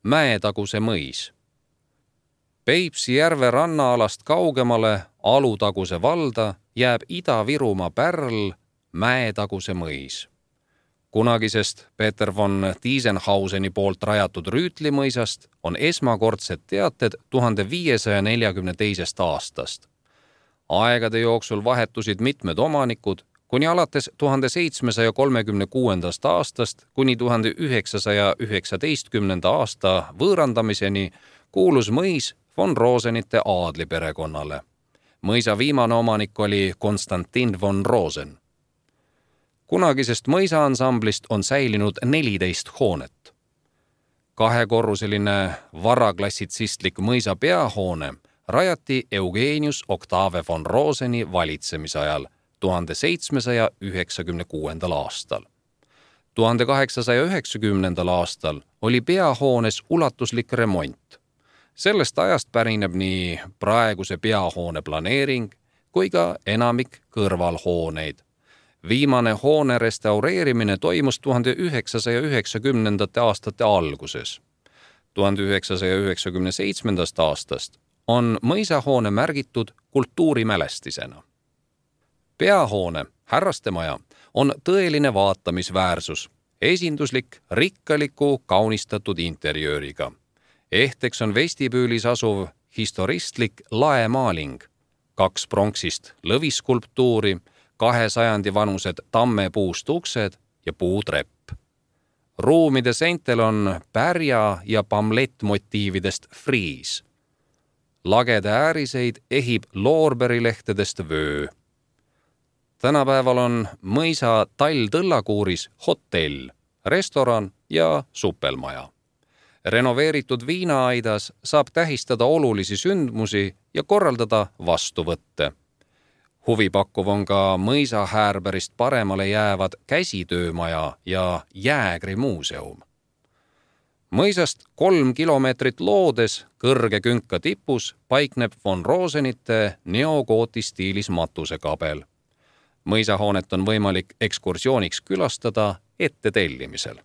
Mäetaguse mõis. Peipsi järve rannaalast kaugemale Alutaguse valda jääb Ida-Virumaa pärl Mäetaguse mõis. Kunagisest Peter von Tiesenhauseni poolt rajatud Rüütli mõisast on esmakordsed teated 1542. aastast. Aegade jooksul vahetusid mitmed omanikud, kuni alates 1736. aastast kuni 1919. aasta võõrandamiseni kuulus mõis von Rosenite aadliperekonnale. Mõisa viimane omanik oli Konstantin von Rosen. Kunagisest mõisaansamblist on säilinud 14 hoonet. Kahekorruseline varaklassitsistlik mõisa peahoone rajati Eugenius Octave von Roseni valitsemisajal 1796. aastal. 1890. aastal oli peahoones ulatuslik remont. Sellest ajast pärineb nii praeguse peahoone planeering kui ka enamik kõrvalhooneid. Viimane hoone restaureerimine toimus 1990. aastate alguses. 1997. aastast on mõisahoone märgitud kultuurimälestisena. Peahoone, härrastemaja, on tõeline vaatamisväärsus, esinduslik, rikkaliku, kaunistatud interjööriga. Ehteks on vestibüülis asuv historistlik laemaaling, 2 pronksist lõviskulptuuri, 2 sajandi vanused tammepuust uksed ja puutrepp. Ruumide seintel on pärja- ja pamlettmotiividest friis. Lagede ääriseid ehib loorberilehtedest vöö. Tänapäeval on mõisa Tall-Tõllakuuris hotell, restoran ja supelmaja. Renoveeritud viinaaidas saab tähistada olulisi sündmusi ja korraldada vastuvõtte. Huvipakkuv on ka mõisa häärberist paremale jäävad käsitöömaja ja jäägrimuuseum. Mõisast 3 kilomeetrit loodes kõrge künka tipus paikneb von Rosenite neogooti stiilis matusekabel. Mõisahoonet on võimalik ekskursiooniks külastada ettetellimisel.